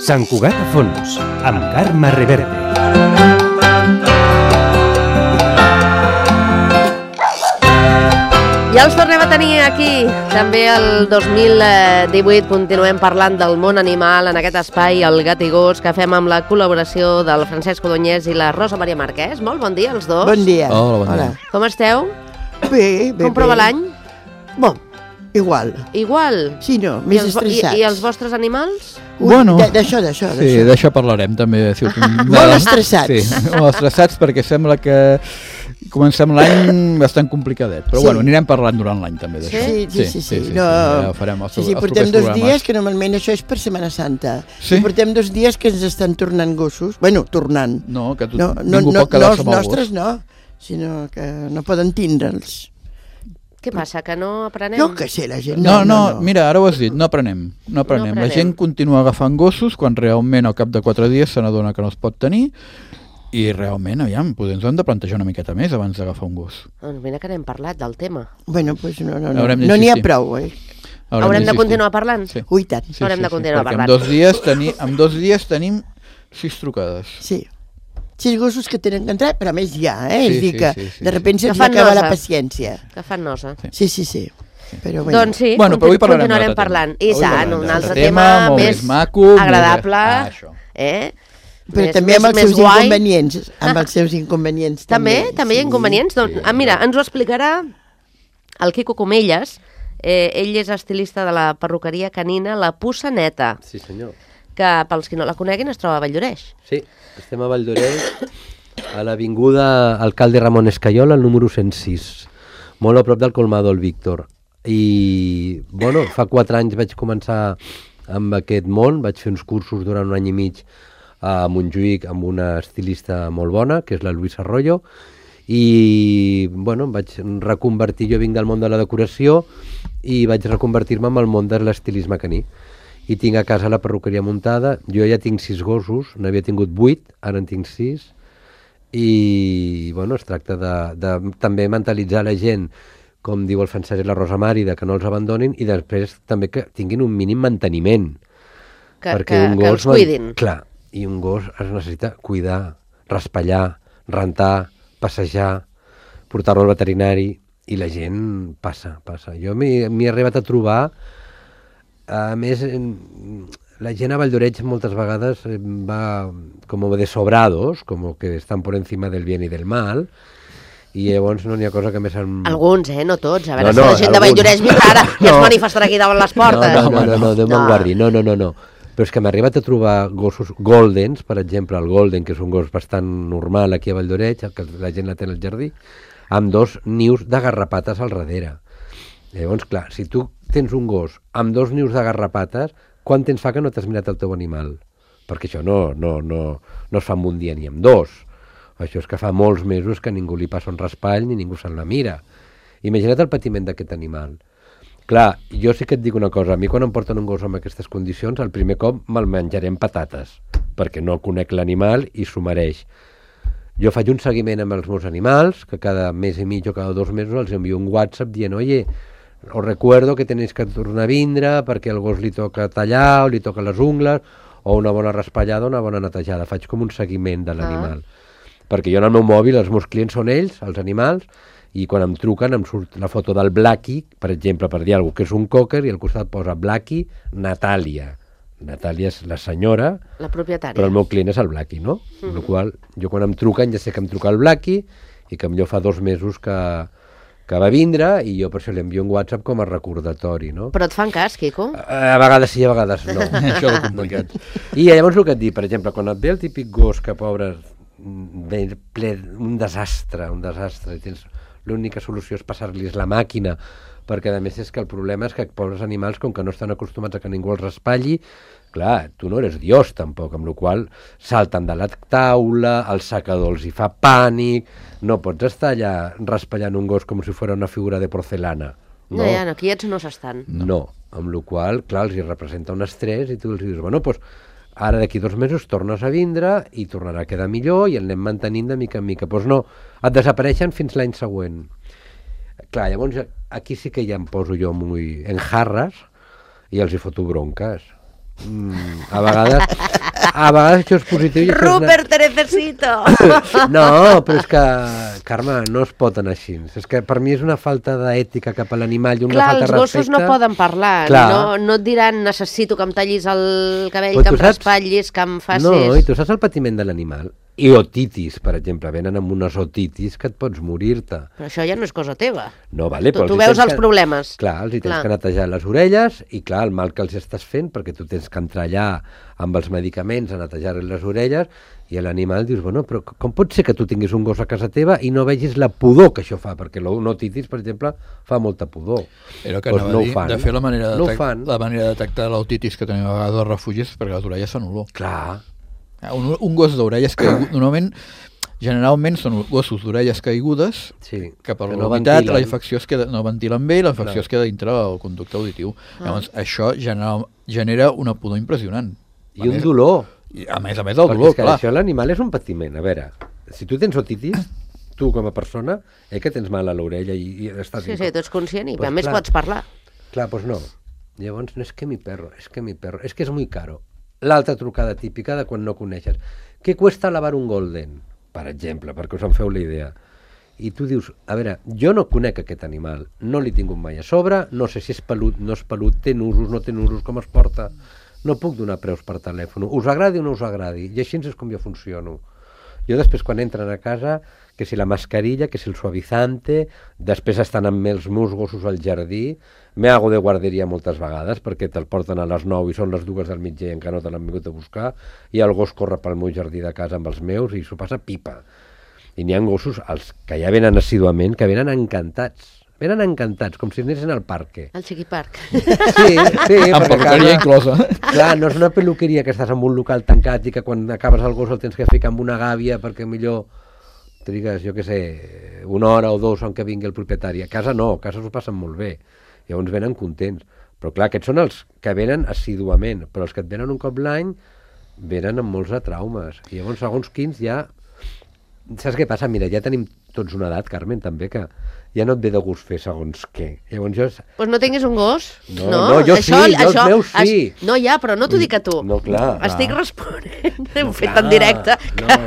Sant Cugat a fons, amb Carme Reverte. Ja els tornem a tenir aquí. També el 2018 continuem parlant del món animal en aquest espai, el Gat i Gos, que fem amb la col·laboració del Francesc Codonyès i la Rosa Maria Marquès. Molt bon dia, els dos. Bon dia. Hola, bon dia. Com esteu? Bé. Com prova l'any? Bon, igual. Igual? Sí, no, més estressats. I els vostres animals? Bueno, d'això. Sí, d'això parlarem també. Molt estressats. Sí, molt estressats perquè sembla que comencem l'any bastant complicadet. Però bueno, anirem parlant durant l'any també d'això. Sí. No, ja farem els portem 2 dies, que normalment això és per Setmana Santa. Sí? I portem 2 dies que ens estan tornant gossos. Bueno, tornant. No, que ningú pot quedar-se amb el gos. No, els nostres no, sinó que no poden tindre'ls. Què passa, que no aprenem? Jo que sé, la gent... No, mira, ara ho has dit, no aprenem. La gent continua agafant gossos quan realment al cap de 4 dies se n'adona que no es pot tenir i realment, aviam, potser ens ho hem de plantejar una miqueta més abans d'agafar un gos. Doncs mira que n'hem parlat del tema. Bueno, doncs no n'hi ha prou, Haurem de continuar parlant? Sí. Ui, tant. Haurem de continuar parlant. Perquè en 2 dies tenim 6 trucades. Sí. 6 gossos que tenen que entrar, però a més ja, és dir que de sobte se'ns acaba la paciència. Que fan nosa. Sí. Però bueno. Doncs sí, però avui continuarem parlant. I tant, un altre tema més maco, agradable. Però també amb els seus inconvenients. Amb els seus inconvenients també. També hi ha inconvenients? Mira, ens ho explicarà el Quico Comelles. Ell és estilista de la perruqueria canina La Puça Neta. Sí, senyor. Que, pels qui no la coneguin, es troba a Valldoreix. Sí, estem a Valldoreix, a l'avinguda Alcalde Ramon Escayol, al número 106, molt a prop del Colmado el Víctor. I, bueno, fa 4 anys vaig començar amb aquest món, vaig fer uns cursos durant 1 any i mig a Montjuïc amb una estilista molt bona, que és la Luisa Arroyo, i, bueno, em vaig reconvertir, jo vinc del món de la decoració, i vaig reconvertir-me en el món de l'estilisme caní. I tinc a casa la perruqueria muntada, jo ja tinc 6 gossos, n'havia tingut 8, ara en tinc 6, i bueno, es tracta de també mentalitzar la gent, com diu el Francesc i la Rosa Mari, de que no els abandonin, i després també que tinguin un mínim manteniment. Que els cuidin. Clar, i un gos es necessita cuidar, raspallar, rentar, passejar, portar-lo al veterinari, i la gent passa. Jo m'hi he arribat a trobar. A més, la gent a Valldoreix moltes vegades va com de sobrados, com que estan por encima del bien i del mal, i llavors no n'hi ha cosa que més... Alguns, no tots. A veure si la gent de Valldoreix vindrà ara i es manifestarà aquí davant les portes. No, Déu me'n guardi, no. Però és que m'ha arribat a trobar gossos goldens, per exemple, el golden, que és un gos bastant normal aquí a Valldoreix, que la gent la té al jardí, amb 2 nius de garrapates al darrere. Llavors, clar, si tu tens un gos amb 2 nius de garrapates, quant temps fa que no t'has mirat el teu animal? Perquè això no es fa en un dia ni en 2. Això és que fa molts mesos que ningú li passa un raspall ni ningú se'n la mira. Imagina't el patiment d'aquest animal. Clar, jo sí que et dic una cosa, a mi quan em porten un gos amb aquestes condicions, el primer cop me'l menjaré amb patates, perquè no conec l'animal i s'ho mereix. Jo faig un seguiment amb els meus animals, que cada mes i mig o cada 2 mesos els envio un WhatsApp dient, oye, os recuerdo que tenéis que tornar a vindre perquè al gos li toca tallar o li toca les ungles, o una bona raspallada o una bona netejada. Faig com un seguiment de l'animal. Perquè jo en el meu mòbil, els meus clients són ells, els animals, i quan em truquen em surt la foto del Blackie, per exemple, per dir alguna cosa, que és un cocker, i al costat posa Blackie Natàlia. Natàlia és la senyora, la propietària, però el meu client és el Blackie, no? Amb la qual jo quan em truquen ja sé que em truca el Blackie i que millor fa 2 mesos que va vindre, i jo per això li envio un WhatsApp com a recordatori, no? Però et fan cas, Quico? A vegades sí, a vegades no. Això és complicat. I llavors el que et dic, per exemple, quan et ve el típic gos que, pobre, ve ple, un desastre, i l'única solució és passar-los la màquina, perquè a més és que el problema és que pobres animals, com que no estan acostumats a que ningú els raspalli, clar, tu no eres Dios tampoc, amb la qual salten de la taula, el secador els hi fa pànic, no pots estar allà raspallant un gos com si fos una figura de porcelana. No, quiets no s'estan. No, amb la qual, clar, els hi representa un estrès i tu els dius, bueno, doncs ara d'aquí 2 mesos tornes a vindre i tornarà a quedar millor i el anem mantenint de mica en mica. Doncs no, et desapareixen fins l'any següent. Clar, llavors aquí sí que ja em poso jo en jarres i els hi foto bronques. A vegades això és positiu. Rupert, te necesito! No, però és que, Carme, no es pot anar així. És que per mi és una falta d'ètica cap a l'animal i una Clar, falta de els gossos respecte. no poden parlar. No et diran, necessito que em tallis el cabell, Però que tu em raspatllis, que em facis... No, i tu saps el patiment de l'animal? I otitis, per exemple, venen amb unes otitis que et pots morir-te. Però això ja no és cosa teva. No, vale, però Tu veus els problemes. Clar, els hi tens que netejar les orelles i, clar, el mal que els estàs fent, perquè tu tens que entrar allà amb els medicaments a netejar les orelles, i l'animal dius, bueno, però com pot ser que tu tinguis un gos a casa teva i no vegis la pudor que això fa? Perquè l'otitis, per exemple, fa molta pudor. Era que anava a dir, de fer la manera de detectar l'otitis que tenim a vegades als refugis, perquè les orelles fan olor. Clar. Un gos d'orelles caigudes, generalment són gossos d'orelles caigudes, que per l'humitat la infecció no ventilen bé i la infecció es queda dintre el conducte auditiu. Llavors, això genera una pudor impressionant. I un dolor. A més el dolor, clar. Això l'animal és un patiment. A veure, si tu tens otitis, tu com a persona, que tens mal a l'orella i estàs... Sí, tu ets conscient i a més pots parlar. Clar, doncs no. Llavors, no és que mi perro, és que és muy caro. L'altra trucada típica de quan no coneixes. Què cuesta lavar un golden? Per exemple, perquè us en feu la idea. I tu dius, a veure, jo no conec aquest animal, no l'he tingut mai a sobre, no sé si és pelut, no és pelut, té nusos, no té nusos, com es porta. No puc donar preus per telèfon. Us agradi o no us agradi? I així és com jo funciono. Jo després, quan entren a casa, que si la mascarilla, que si el suavizante, després estan amb els meus gossos al jardí, me hago de guarderia moltes vegades, perquè te'l porten a les 9 i són les 2 del migdia i encara no te l'han vingut a buscar, i el gos corre pel meu jardí de casa amb els meus i s'ho passa pipa. I n'hi ha gossos, els que ja venen assiduament, que venen encantats. Venen encantats, com si anessin al parque. Al Chiquipark. Sí, amb peluqueria inclosa. Clar, no és una peluqueria que estàs en un local tancat i que quan acabes el gos el tens que ficar amb una gàbia perquè millor trigues, jo què sé, 1 hora o 2 on que vingui el propietari. A casa no, a casa s'ho passen molt bé. Llavors venen contents. Però clar, aquests són els que venen assiduament, però els que et venen un cop l'any venen amb molts de traumes. I llavors, segons quins, ja... Saps què passa? Mira, ja tenim tots una edat, Carmen, també, que ja no et ve de gust fer segons què. Llavors jo... Pues no tinguis un gos. No, jo sí, jo els meus sí. No, ja, però no t'ho dic a tu. No, clar. Estic responent. Ho he fet en directe. No,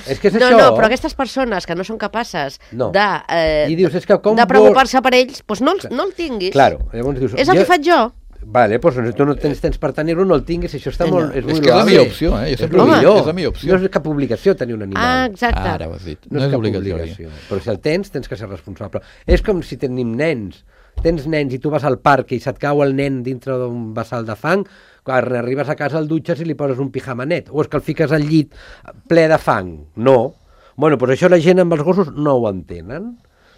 és que és això. No, però aquestes persones que no són capaces I dius, és que com de preocupar-se per ells, doncs no el tinguis. Claro, llavors dius... És el que faig jo. Vale, doncs tu no tens temps per tenir-lo, no el tinguis, això està molt... És que és la millor opció, jo sempre ho dic, és la millor opció. No és cap obligació tenir un animal. Ah, exacte. Ara ho has dit, no és cap obligació. Però si el tens que ser responsable. És com si tenim nens. Tens nens i tu vas al parc i se't cau el nen dintre d'un bassal de fang, quan arribes a casa el dutxes i li poses un pijamanet, o és que el fiques al llit ple de fang. No. Bueno, doncs això la gent amb els gossos no ho entenen.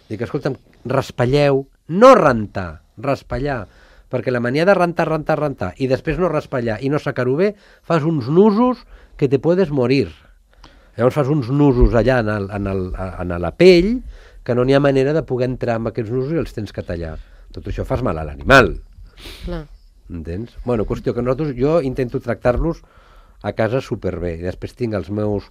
Dic, escolta'm, raspalleu, no rentar, raspallar. Perquè la mania de rentar i després no raspallar i no sacar-ho bé, fas uns nusos que te puedes morir. Llavors fas uns nusos allà en la pell que no n'hi ha manera de poder entrar amb aquests nusos i els tens que tallar. Tot això fas mal a l'animal. Clar. Entens? Bueno, qüestió que jo intento tractar-los a casa superbé. I després tinc els meus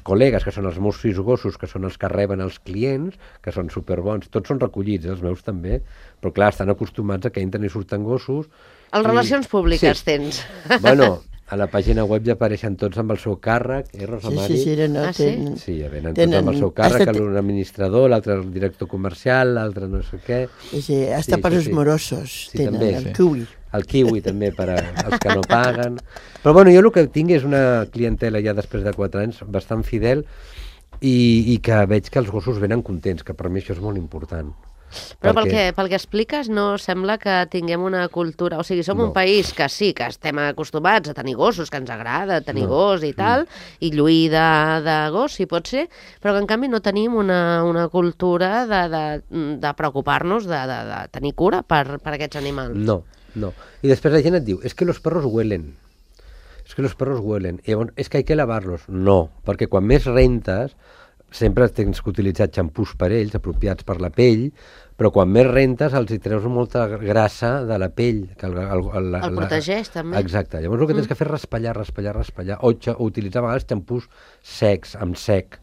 col·legues, que són els meus 6 gossos, que són els que reben els clients, que són superbons. Tots són recollits, els meus també, però clar, estan acostumats a que entren i surten gossos. Relacions públiques tens. Bueno, a la pàgina web ja apareixen tots amb el seu càrrec, Rosa Mari? Sí, ja venen tots amb el seu càrrec, un administrador, l'altre el director comercial, l'altre no sé què. Sí, hasta per els morosos tenen, el kiwi. El kiwi també per als que no paguen. Però bueno, jo el que tinc és una clientela ja després de 4 anys bastant fidel i que veig que els gossos venen contents, que per mi això és molt important. Però pel que expliques no sembla que tinguem una cultura... O sigui, som un país que sí, que estem acostumats a tenir gossos, que ens agrada tenir gos i tal, i lluir de gos, si pot ser, però que en canvi no tenim una cultura de preocupar-nos de tenir cura per aquests animals. No. I després la gent et diu, es que los perros huelen. I llavors, es que hay que lavarlos. No, perquè quan més rentes, sempre tens que utilitzar xampús per ells, apropiats per la pell, però quan més rentes els hi treus molta grassa de la pell. Que el protegeix, també. Exacte. Llavors el que tens que fer és raspallar, o utilitzar a vegades xampús secs, amb sec.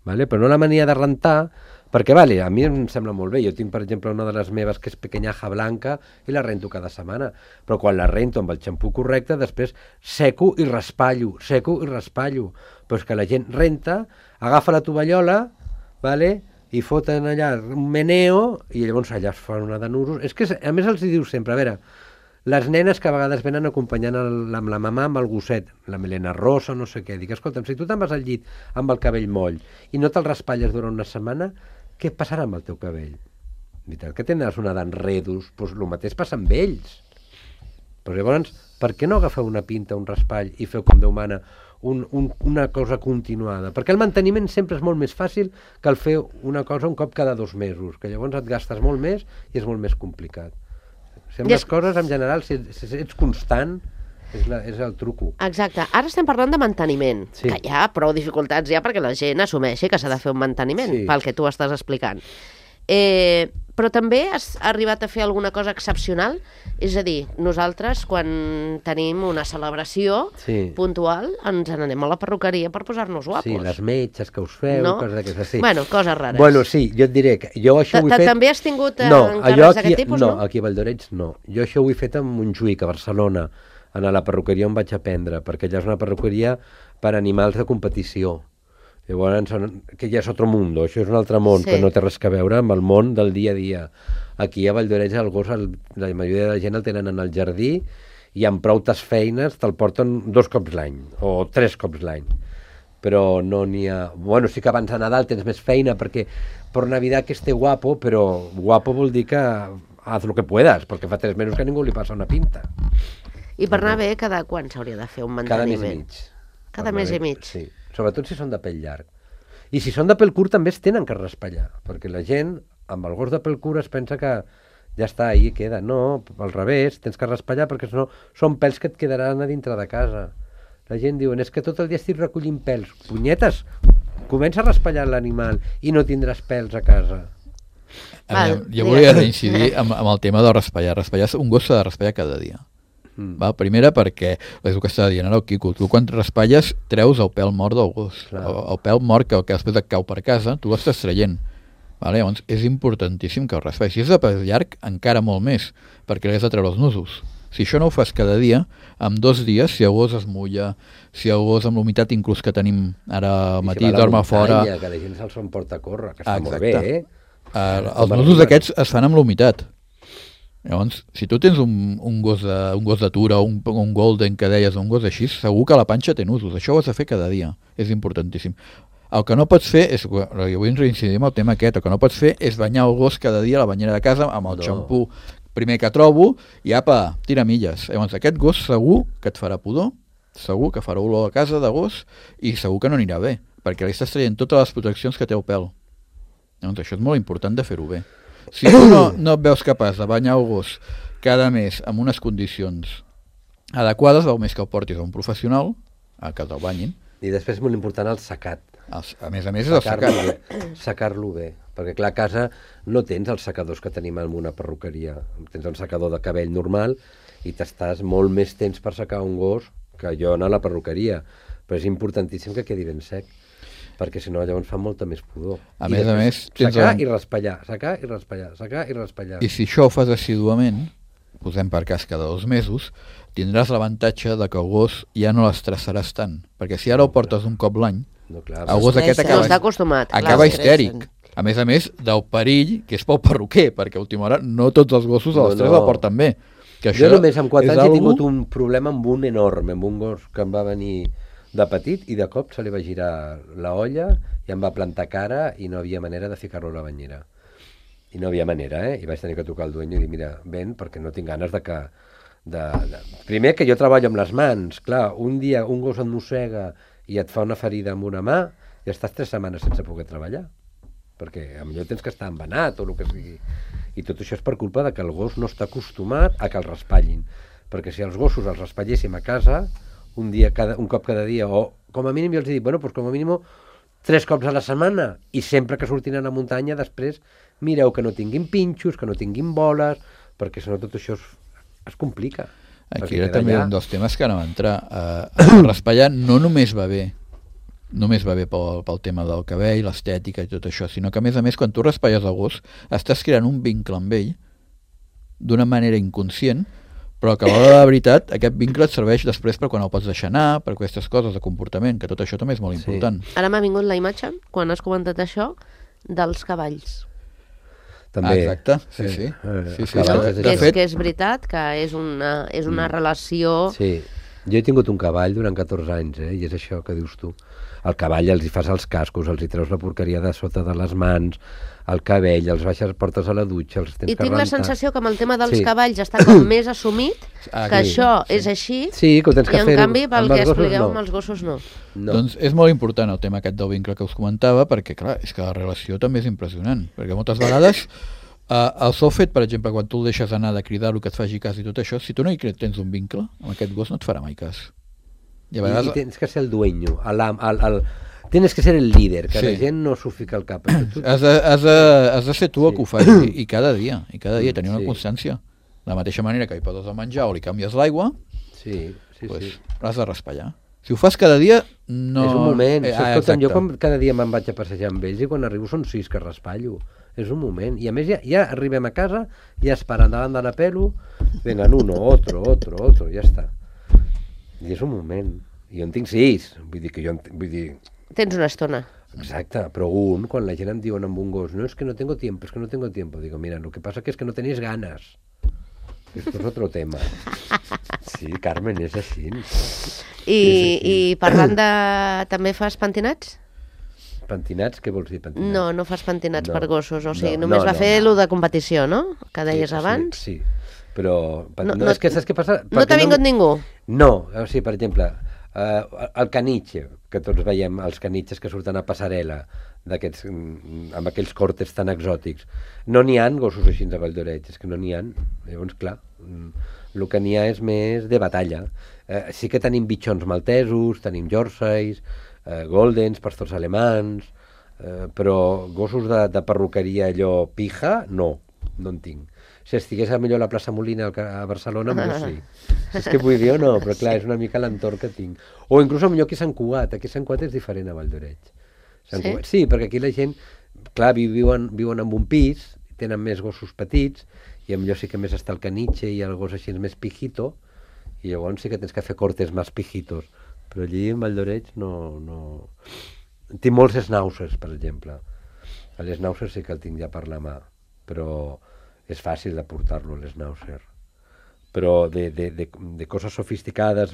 Vale? Però no la mania de rentar, Perquè, vale, a mi em sembla molt bé. Jo tinc, per exemple, una de les meves que és pequeñaja blanca i la rento cada setmana. Però quan la rento amb el xampú correcte, després seco i raspallo. Però és que la gent renta, agafa la tovallola, vale, i foten allà un meneo i llavors allà es fan una de nusos. És que, a més, els diu sempre, a veure, les nenes que a vegades venen acompanyant amb la mamà amb el gosset, la melena rosa, no sé què, dic, escolta'm, si tu te'n vas al llit amb el cabell moll i no te'l raspalles durant una setmana, què passarà amb el teu cabell? Veritat que tindràs una d'enredos, doncs el mateix passa amb ells. Però llavors, per què no agafeu una pinta, un raspall i feu com Déu mana una cosa continuada? Perquè el manteniment sempre és molt més fàcil que el fer una cosa un cop cada 2 mesos, que llavors et gastes molt més i és molt més complicat. Les coses, en general, si ets constant, és el truco. Exacte. Ara estem parlant de manteniment, que hi ha prou dificultats ja perquè la gent assumeixi que s'ha de fer un manteniment, pel que tu estàs explicant. Però també has arribat a fer alguna cosa excepcional? És a dir, nosaltres, quan tenim una celebració puntual, ens n'anem a la perruqueria per posar-nos guapos. Sí, les metges que us feu, coses d'aquestes. Sí. Bueno, coses rares. Bueno, sí, jo et diré que jo això ho he fet... També has tingut encàrrecs d'aquest tipus, no? No, aquí a Valldoreix no. Jo això ho he fet a Montjuïc, a Barcelona, a la perruqueria on vaig aprendre, perquè allà és una perruqueria per animals de competició. Llavors, que ja és altre món, això és un altre món, que no té res a veure amb el món del dia a dia. Aquí a Valldoreix el gos, la majoria de la gent el tenen en el jardí i amb proutes feines te'l porten 2 cops l'any, o 3 cops l'any. Però no n'hi ha... Bueno, sí que abans de Nadal tens més feina, perquè per Navidad que esté guapo, però guapo vol dir que haz lo que puedas, perquè fa 3 mesos que a ningú li passa una pinta. I per anar bé, cada quan s'hauria de fer un manteniment? Cada mes i mig. Cada mes i mig? Sí. Sobretot si són de pèl llarg. I si són de pèl curt també es tenen que raspallar, perquè la gent amb el gos de pèl curt es pensa que ja està, ahí queda. No, al revés, tens que raspallar perquè no, són pèls que et quedaran a dintre de casa. La gent diu, és que tot el dia estic recollint pèls. Punyetes, comença a raspallar l'animal i no tindràs pèls a casa. Jo volia reincidir amb el tema de raspallar. Un gos s'ha de raspallar cada dia. Primera perquè, és el que està dient ara el Quico, tu quan raspalles treus el pèl mort del gos, el pèl mort que després et cau per casa, tu l'estàs traient. Llavors és importantíssim que el raspallis. Si és de pèl llarg, encara molt més, perquè l'has de treure els nusos. Si això no ho fas cada dia, en 2 dies, si el gos es mulla, si el gos amb l'humitat inclús que tenim ara al matí, dorm a fora... Que la gent se'ls emporta a córrer, que està molt bé, Els nusos aquests es fan amb l'humitat. Llavors, si tu tens un gos de tura, un golden que deies, un gos així, segur que la panxa té nusos. Això ho has de fer cada dia. És importantíssim. El que no pots fer és, jo vull reincidir amb el tema aquest, el que no pots fer és banyar el gos cada dia a la banyera de casa amb el xampú primer que trobo i apa, tira milles. Llavors, aquest gos segur que et farà pudor, segur que farà olor a casa de gos i segur que no anirà bé, perquè li estàs traient totes les proteccions que té el pèl. Llavors, això és molt important de fer-ho bé. Si tu no et veus capaç de banyar el gos cada mes en unes condicions adequades, val més que el portis a un professional, a que te'l banyin. I després és molt important el secat. A més és el secat. Secar-lo bé, perquè clar, a casa no tens els secadors que tenim en una perruqueria. Tens un secador de cabell normal i t'estàs molt més temps per secar un gos que jo anar a la perruqueria. Però és importantíssim que quedi ben sec, perquè si no llavors fa molta més pudor. A més, secar i raspallar, secar i raspallar, secar i raspallar. I si això ho fas assiduament, posem per cas cada 2 mesos, tindràs l'avantatge de que el gos ja no l'estressaràs tant, perquè si ara el portes un cop l'any, el gos aquest acaba histèric. A més, del perill, que és pel perruquer, perquè a última hora no tots els gossos a l'estrès el porten bé. Jo només amb 4 anys he tingut un problema amb un enorme, amb un gos que em va venir de petit i de cop se li va girar la olla i em va plantar cara i no havia manera de ficar-lo a la banyera. I no havia manera, I vaig tenir que trucar al dueño i dir, mira, ven, perquè no tinc ganes de que... Primer que jo treballo amb les mans, clar, un dia un gos et mossega i et fa una ferida amb una mà i estàs 3 setmanes sense poder treballar, perquè potser tens que estar embenat o el que sigui. I tot això és per culpa de que el gos no està acostumat a que el raspallin, perquè si els gossos els raspalléssim a casa un cop cada dia, o com a mínim jo els dic, bueno, doncs com a mínim 3 cops a la setmana, i sempre que surtin a la muntanya després mireu que no tinguin pinxos, que no tinguin boles, perquè si no tot això es complica. Aquí era també un dels temes que no va entrar. Raspallar no només va bé només va bé pel tema del cabell, l'estètica i tot això, sinó que a més, quan tu raspalles el gos, estàs creant un vincle amb ell d'una manera inconscient, però que a l'hora de la veritat aquest vincle et serveix després per quan el pots deixar anar, per aquestes coses de comportament, que tot això també és molt important. Ara m'ha vingut la imatge, quan has comentat això, dels cavalls. També. Exacte, sí. Que és veritat que és una relació... Sí, jo he tingut un cavall durant 14 anys, i és això que dius tu. Al cavall els hi fas els cascos, els hi treus la porqueria de sota de les mans, el cabell, els baixes, portes a la dutxa, els tens que rentar. I tinc la sensació que amb el tema dels cavalls està com més assumit, que això és així, que ho tens que fer. I en canvi, pel que expliqueu, amb els gossos no. Doncs és molt important el tema aquest del vincle que us comentava, perquè clar, és que la relació també és impressionant, perquè moltes vegades el sol fet, per exemple, quan tu el deixes anar de cridar-lo, que et faci cas i tot això, si tu no hi tens un vincle, amb aquest gos no et farà mai cas. I tens que ser el dueño, tienes que ser el líder, que la gent no s'ho fica al cap. Has de ser tu el que ho faci, i cada dia, tenir una constància. De la mateixa manera que hi poses el menjar o li canvies l'aigua, l'has de raspallar. Si ho fas cada dia, no... És un moment. Jo cada dia me'n vaig a passejar amb ells i quan arribo són 6 que raspallo. És un moment. I a més ja arribem a casa, ja esperant davant de la pelo, vengan uno, otro, ja està. I és un moment. I jo en tinc 6. Vull dir... Tens una estona. Exacte, però quan la gent em diuen amb un gos, no, es que no tengo tiempo, digo, mira, lo que pasa que es que no tenéis ganas. Esto es otro tema. Sí, Carmen, és així. I parlant de... també fas pentinats? Pentinats? Què vols dir, pentinats? No fas pentinats per gossos, o sigui, només va fer lo de competició, no? Que deies abans. Sí, però... És que saps què passa? No t'ha vingut ningú? No, o sigui, per exemple, el caniche, que tots veiem els canitxes que surten a passarel·la, amb aquells cortes tan exòtics. No n'hi ha gossos així de Vall d'Oreig, és que no n'hi ha. Llavors, clar, el que n'hi ha és més de batalla. Sí que tenim bitxons maltesos, tenim Yorkshires, Goldens, pastors alemans, però gossos de perruqueria allò pija, no en tinc. Si estigués millor a la plaça Molina a Barcelona, potser sí. És que vull dir o no, però clar, és una mica l'entorn que tinc. O inclús millor aquí a Sant Cugat. Aquí a Sant Cugat és diferent a Vall d'Oreig. Sí, perquè aquí la gent, clar, viuen en un pis, tenen més gossos petits, i millor sí que més està el caniche i el gos així més pijito, i llavors sí que tens que fer cortes més pijitos. Però allí en Vall d'Oreig no... Tinc molts schnauzers, per exemple. L'schnauzer sí que el tinc ja per la mà, però és fàcil de portar-lo, l'schnauzer. Però de coses sofisticades,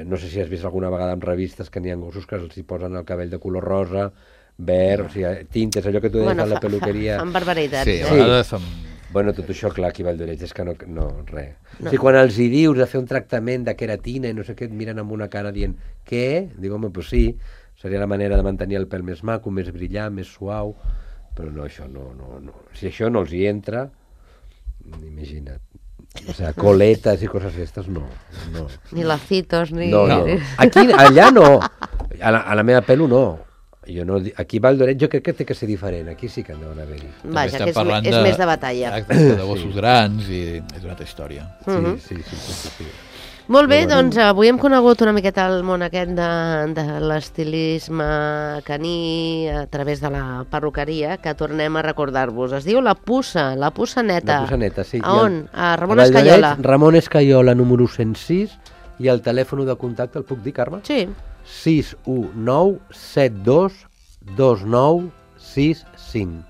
no sé si has vist alguna vegada en revistes que n'hi ha gossos que els hi posen el cabell de color rosa, verd, o sigui, tintes, allò que tu deies a la peluqueria. Fan barbaritats. Sí, a vegades Bueno, tot això, clar, aquí a Vall d'Oreig és que no, res. No. O sigui, quan els hi dius de fer un tractament de queratina i no sé què, et miren amb una cara dient què? Dic, home, doncs sí, seria la manera de mantenir el pèl més maco, més brillant, més suau, però no, això no. Si això no els hi entra, imagina't. O sigui, coletes i coses aquestes, no. Ni lacitos, ni... No. Aquí, allà no. A la meva pelo no. Aquí a Vall d'Oreig jo crec que té que ser diferent. Aquí sí que han d'haver-hi. Vaja, que és més de batalla. Exacte, de gossos grans i és una altra història. Sí. Molt bé, doncs avui hem conegut una miqueta el món aquest de l'estilisme caní a través de la perruqueria, que tornem a recordar-vos. Es diu La Puça Neta. La Puça Neta, sí. A on? A Ramon Escaiola. Ramon Escaiola, número 106, i el telèfon de contacte, el puc dir, Carme? Sí. 619-7229-65.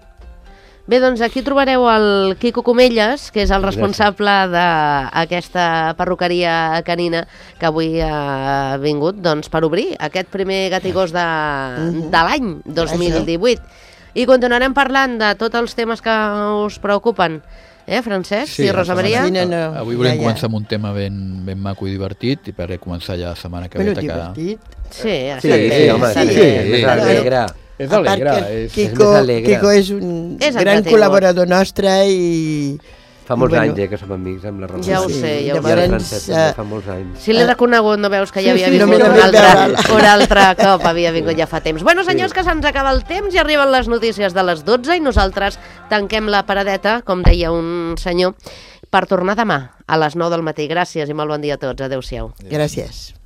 Bé, doncs aquí trobareu el Quico Comelles, que és el responsable d'aquesta perruqueria canina que avui ha vingut per obrir aquest primer gat i gos de l'any 2018. I continuarem parlant de tots els temes que us preocupen. Francesc? Sí, i Rosa Maria? Avui volem començar amb un tema ben maco i divertit i per començar ja la setmana que ve. Divertit? Sí, home, és alegre. És alegre. Quico és un gran col·laborador nostre i... Fa molts anys que som amics amb la Rosa. Ja ho sé, ja ho sé. I el Francesc també fa molts anys. Si l'he reconegut, no veus que ja havia vingut un altre cop, havia vingut ja fa temps. Bueno, senyors, que se'ns acaba el temps i arriben les notícies de les 12 i nosaltres tanquem la paradeta, com deia un senyor, per tornar demà a les 9 del matí. Gràcies i molt bon dia a tots. Adéu-siau. Gràcies.